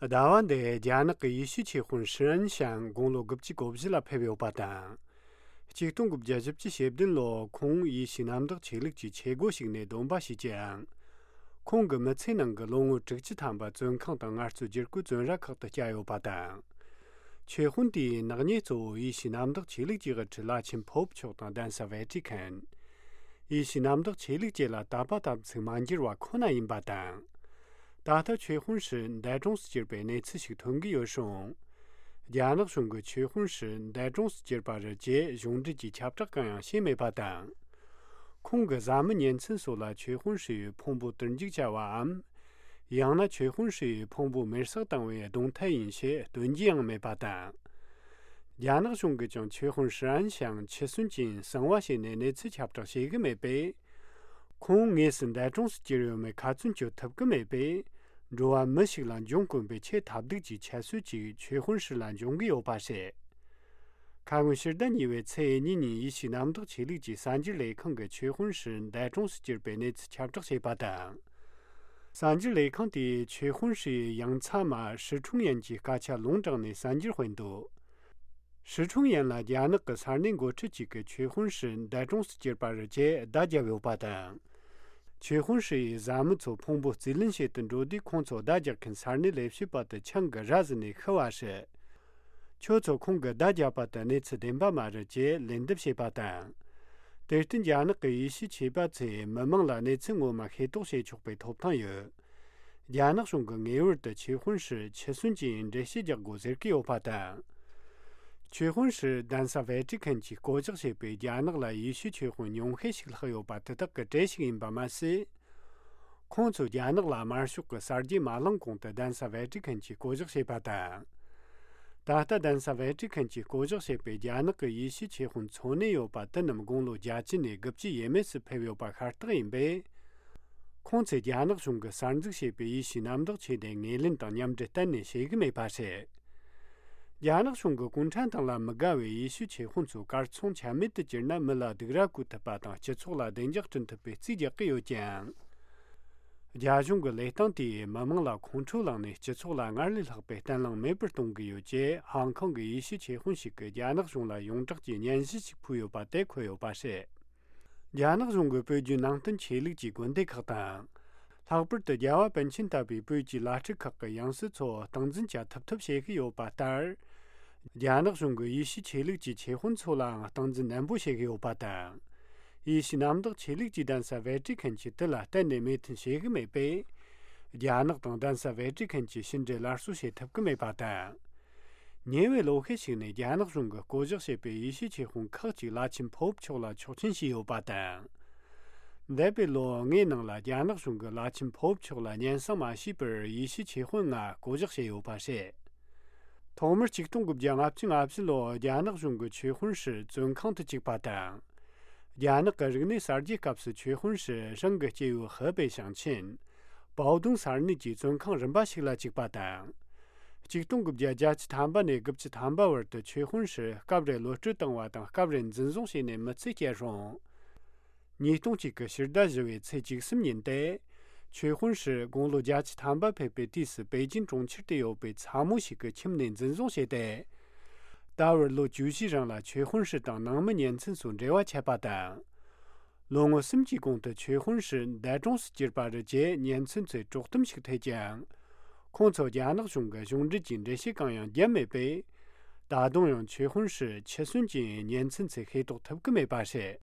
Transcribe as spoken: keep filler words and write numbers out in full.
ཟླ་བ་འདིའི་རྒྱ་ནག་གི་ཡེ་ཤུའི་ཆོས་དཔོན་ཧྲི་ཨན་ཞང་དགུང་ལོ་དགུ་བཅུ་གོ་བཞི་ལ་ཕེབས་ཡོད་པ་དང་། ཆིག་སྟོང་དགུ་བརྒྱ་བཞི་བཅུ་ཞེ་བདུན་ལོར་ཁོང་ཡེ་ཤུའི་གནམ་བདག་ཆོས་ལུགས་ཀྱི་ཆས་སྒོ་ཞིག་ནས་སྡོམ་པ་བྱས་ཀྱང་། ཁོང་གི་མི་ཚེའི་ནང་གི་ལོ་ངོ་དྲུག་ཅུ་ཐམ་པ་བཙོན་ཁང་དང་ངལ་རྩོལ་བསྒྱུར་བཀོད་བཙོན་ར་ཁག་ཏུ་བསྐྱལ་ཡོད་པ་དང་། ཆོས་དཔོན་དེའི་ནག་ཉེས་གཙོ་བོ་ཡེ་ཤུའི་གནམ་བདག་ཆོས་ལུགས་ཀྱི་དབུ་ཁྲིད་བླ་ཆེན་ཕོབ་མཆོག་དང་གདན་ས་ཝེ་ཏི་ཁན། ཡེ་ཤུའི་གནམ་བདག་ཆོས་ལུགས་བཅས་ལ་དད་པ་དམ་ཚིག་མ་འགྱུར་བ་ཁོ་ན་ཡིན་པ་དང་། ད་ལྟ་ཆོས་དཔོན་ཧྲི་འདས་གྲོངས་སུ་གྱུར་པའི་གནས་ཚུལ་ཞིག་ཐོན་གྱི་ཡོད་རུང་། རྒྱ་ནག་གཞུང་གིས་ཆོས་དཔོན་ཧྲི་འདས་གྲོངས་སུ་གྱུར་པ་རེད་ཅེས་གཞུང་འབྲེལ་གྱི་ཁྱབ་བསྒྲགས་གང་ཡང་བྱས་མེད་པ་དང་། ཁོང་གི་བཟའ་མི་གཉེན་ཚན་སོགས་ལ་ཆོས་དཔོན་ཧྲི་ཡི་ཕུང་པོ་དུར་འཇུག་བྱ་བའམ། ཡང་ན་ཆོས་དཔོན་ཧྲི་ཡི་ཕུང་པོ་མེར་སྲེག་བཏང་བའི་གདོང་ཐད་ཡིན་ཞེས་སྟོན་རྒྱུ་ཡང་མེད་པ་དང་། རྒྱ་ནག་གཞུང་གིས་ཀྱང་ཆོས་དཔོན་ཧྲི་ཨན་ཞང་འཆི་གསོན་ཅན་གསང་བ་བྱས་ནས་གནས་ཚུལ་ཁྱབ་བསྒྲགས་བྱེད་ཀྱི་མེད་པས། ཁོང་དངོས་སུ་འདས་གྲོངས་སུ་གྱུར་ཡོད་མེད་ཁ་ཚོན་གཅོད་ཐུབ་ཀྱི་མེད་པས། འགྲོ་བ་མི་ཞིག་ལ་འབྱུང་དཀོན་པའི་ཆེས་ཐབས་སྡུག་གི་ཁྱད་གསོད་ཅིག་ཆོས་དཔོན་ཧྲི་ལ་འབྱུང་གི་ཡོད་པ་རེད། ཁ་སྔོན་ཕྱི་ཟླ་གཉིས་པའི་ཚེས་གཉིས་ཉིན་ཡེ་ཤུའི་གནམ་བདག་ཆོས་ལུགས་ཀྱི་གསར་འགྱུར་ལས་ཁང་གིས་ཆོས་དཔོན་ཧྲི་འདས་གྲོངས་སུ་གྱུར་པའི་གནས་ཚུལ་ཁྱབ་བསྒྲགས་བྱས་པ་དང་། གསར་འགྱུར་ལས་ཁང་དེས་ཆོས་དཔོན་ཧྲི་ཡི་ཡང་ཚ་མ་ཧྲི་ཁྲུང་ཡན་གྱི་སྐད་ཆ་ལུང་དྲངས་ནས་གསར་འགྱུར་སྤེལ་འདུག་ཧྲི་ཁྲུང་ཡན་ལ་རྒྱ་ནག་གི་ས་གནས་འགོ་ཁྲིད་ཅིག་གིས་ཆོས་དཔོན་ཧྲི་འདས་གྲོངས་སུ་གྱུར་པ་རེད་ཅེས་བརྡ་བརྒྱབ་ཡོད་པ་དང་། ཆོས་དཔོན་ཧྲི་ཡི་བཟའ་མི་ཚོ་ཕུང་པོ་རྩིས་ལེན་བྱེད་དུ་འགྲོ་དུས་ཁོང་ཚོ་བརྡ་རྒྱག་མཁན་ས་གནས་ལས་བྱེད་པ་དེ་ཆང་གིས་ར་བཟི་ནས་ཤི་བ་རེད། ཁྱོད་ཚོ་ཁོང་གིས་བརྡ་བརྒྱབ་པ་དེ་གནས་ཚུལ་བདེན་པ་མ་རེད་ཅེས་ལན་འདེབས་བྱས་པ་དང་། དེར་བརྟེན་རྒྱ་ནག་གི་ཡེ་ཤུའི་ཆོས་པ་ཚོས་མི་མང་ལ་གནས་ཚུལ་ངོ་མ་ཤེས་རྟོགས་བྱེད་ཆོག་པའི་ཐོབ་ཐང་ཡོད། རྒྱ་ནག་གཞུང་གིས་ངེས་པར་དུ་ཆོས་དཔོན་ཧྲི་འཆི་གསོན་གྱི་འགྲེལ་བཤད་རྒྱག་དགོས་ཟེར་གྱི་ཡོད་པ་དང་། ཆོས་དཔོན་ཧྲི་གདན་ས་ཝེ་ཏི་ཁན་གྱིས་བསྐོ་གཞག་བྱས་པའི་རྒྱ་ནག་ལ་ཡེ་ཤུའི་ཆོས་དཔོན་ཉུང་ཤས་ཤིག་ལྷག་ཡོད་པ་དེ་དག་གི་གྲས་ཤིག་ཡིན་པ་མ་ཟད། ཁོང་ཚོས་རྒྱ་ནག་ལ་དམར་ཤོག་གི་གསར་བརྗེ་མ་ལངས་གོང་དུ་གདན་ས་ཝེ་ཏི་ཁན་གྱིས་བསྐོ་གཞག་བྱས་པ་དང་། ད་ལྟ་གདན་ས་ཝེ་ཏི་ཁན་གྱིས་བསྐོ་གཞག་བྱས་པའི་རྒྱ་ནག་གི་ཡེ་ཤུའི་ཆོས་དཔོན་འཚོ་གནས་ཡོད་པ་དེ་རྣམས་དགུང་ལོ་བརྒྱད་ཅུ་ནས་དགུ་བཅུ་ཡས་མས་སུ་ཕེབས་ཡོད་པ་ཤ་སྟག་ཡིན་པས། ཁོང་ཚོས་རྒྱ་ནག་གཞུང་གིས་གསར་འཛུགས་བྱས་པའི་ཡེ་ཤུའི་གནམ་བདག་ཆོས་སྡེ་ངོས་ལེན་དང་མཉམ་འབྲེལ་གཏན་ནས་བྱེད་ཀྱི་མེད་པ་རེད། རྒྱ་ནག་གཞུང་གིས་གུང་ཁྲན་ཏང་ལ་མི་དགའ་བའི་ཡེ་ཤུའི་ཆོས་དཔོན་ཚོ་གར་སོང་ཆ་མེད་དུ་གྱུར་ན་མི་ལ་སྡུག་ར་བཀོད་ཐུབ་པ་དང་སྤྱི་ཚོགས་ལ་བདེ་འཇགས་བསྐྲུན་ཐུབ་པའི་རྩིས་རྒྱག་གི་ཡོད་ཀྱང་། རྒྱ་གཞུང་གི་ལས་སྟངས་དེས་མི་མང་ལ་ཁོང་ཁྲོ་ལངས་ནས་སྤྱི་ཚོགས་ལ་སྔར་ལས་ལྷག་པའི་བརྟན་ལྷིང་མེད་པར་གཏོང་གི་ཡོད་ཅེས་ཧང་ཀོང་གི་ཡེ་ཤུའི་ཆོས་དཔོན་ཞིག་གིས་རྒྱ་ནག་གཞུང་ལ་ཡོངས་གྲགས་ཀྱི་སྙན་ཞུ་ཞིག་ཕུལ་ཡོད་པ་དེ་འཁོད་ཡོད་པ་རེད། རྒྱ་ནག་གཞུང་གིས་བོད་བརྒྱུད་ནང་བསྟན་ཆོས་ལུགས་ཀྱི་དགོན་སྡེ་ཁག་དང་། ལྷག་པར་དུ་རྒྱལ་བ་པཎ་ཆེན་ལྟ་བུའི་བོད་ཀྱི་བླ་སྤྲུལ་ཁག་གི་ཡང་སྲིད་ཚོ་སྟངས་འཛིན་བྱ་ཐུབ་ཐབས་བྱེད་ཀྱི་ཡོད་པ་ལྟར། རྒྱ་ནག་གཞུང་གིས་ཡེ་ཤུའི་ཆོས་ལུགས་ཀྱི་ཆོས་དཔོན་ཚོ་ལའང་སྟངས་འཛིན་ནན་པོ་བྱེད་ཀྱི་ཡོད་པ་དང་། ཡེ་ཤུའི་གནམ་བདག་ཆོས་ལུགས་ཀྱི་གདན་ས་ཝེ་ཏི་ཁན་གྱིས་དེ་ལ་གཏན་ནས་མོས་མཐུན་བྱེད་ཀྱི་མེད་པས། རྒྱ་ནག་དང་གདན་ས་ཝེ་ཏི་ཁན་གྱིས་ཕྱི་འབྲེལ་སླར་གསོ་བྱེད་ཐུབ་ཀྱི་མེད་པ་དང་། ཉེ་བའི་ལོ་ཤས་ཤིག་ནས་རྒྱ་ནག་གཞུང་གིས་བསྐོ་གཞག་བྱས་པའི་ཡེ་ཤུའི་ཆོས་དཔོན་ཁག་ཅིག་བླ་ཆེན་ཕོབ་མཆོག་ལ་ཆོག་མཆན་ཞུས་ཡོད་པ་དང་། འདས་པའི་ལོ་ལྔའི་ནང་ལ་རྒྱ་ནག་གཞུང་གིས་བླ་ཆེན་ཕོབ་མཆོག་ལ་སྙན་སེང་མ་ཞུས་པར་ཡེ་ཤུའི་ཆོས་དཔོན་ལྔ་བསྐོ་གཞག་བྱས་ཡོད་པ་རེད། ཐོག་མར་ཆིག་སྟོང་དགུ་བརྒྱ་ལྔ་བཅུ་ང་བཞི་ལོར་རྒྱ་ནག་གཞུང་གིས་ཆོས་དཔོན་ཧྲི་བཙོན་ཁང་དུ་བཅུག་པ་དང་། རྒྱ་ནག་གི་རིག་གནས་གསར་བརྗེའི་སྐབས་སུ་ཆོས་དཔོན་ཧྲི་རང་གི་སྐྱེས་བུ་ཧི་པེ་ཞིང་ཆེན། པའོ་ཏུང་ས་གནས་ཀྱི་བཙོན་ཁང་རིམ་པ་ཞིག་ལ་བཅུག་པ་དང་། ཆིག་སྟོང་དགུ་བརྒྱ་བརྒྱད་ཅུ་ཐམ་པ་ནས་དགུ་བཅུ་ཐམ་པ་བར་དུ་ཆོས་དཔོན་ཧྲི་སྐབས་རེ་གློད་བཀྲོལ་བཏང་བ་དང་སྐབས་རེ་འཛིན་བཟུང་བྱས་ནས་མི་ཚེ་སྐྱེལ་རུང་། ཉིས་སྟོང་གཅིག་གི་ཕྱི་ཟླ་བཞི་བའི་ཚེས་བཅུ་གསུམ་ཉིན་ཏེ། ཆོས་དཔོན་ཧྲི་དགུང་ལོ་བརྒྱད་ཅུ་ཐམ་པ་ཕེབས་པའི་དུས་སུ་པེ་ཅིན་གྲོང་ཁྱེར་དུ་ཡོད་པའི་ཚ་མོ་ཞིག་གི་ཁྱིམ་ནས་འཛིན་བཟུང་བྱས་ཏེ། ད་བར་ལོ་བཅུ་བཞིའི་རིང་ལ་ཆོས་དཔོན་ཧྲི་དང་ནང་མི་གཉེན་ཚན་ཚོས་འབྲེལ་བ་ཆད་པ་དང་། ལོ་ངོ་གསུམ་གྱི་གོང་དུ་ཆོས་དཔོན་ཧྲི་འདས་གྲོངས་སུ་གྱུར་པ་རེད་ཅེས་གཉེན་ཚན་ཚོས་དཀྲོག་གཏམ་ཞིག་ཐེབས་ཀྱང་། ཁོང་ཚོ་རྒྱ་ནག་གཞུང་གི་གཞུང་འབྲེལ་གྱི་འགྲེལ་བཤད་གང་ཡང་བརྒྱབ་མེད་པས། ད་དུང་ཡང་ཆོས་དཔོན་ཧྲི་འཆི་གསོན་གྱི་གཉེན་ཚན་ཚོས་ཤེས་རྟོགས་ཐུབ་ཀྱི་མེད་པ་རེད།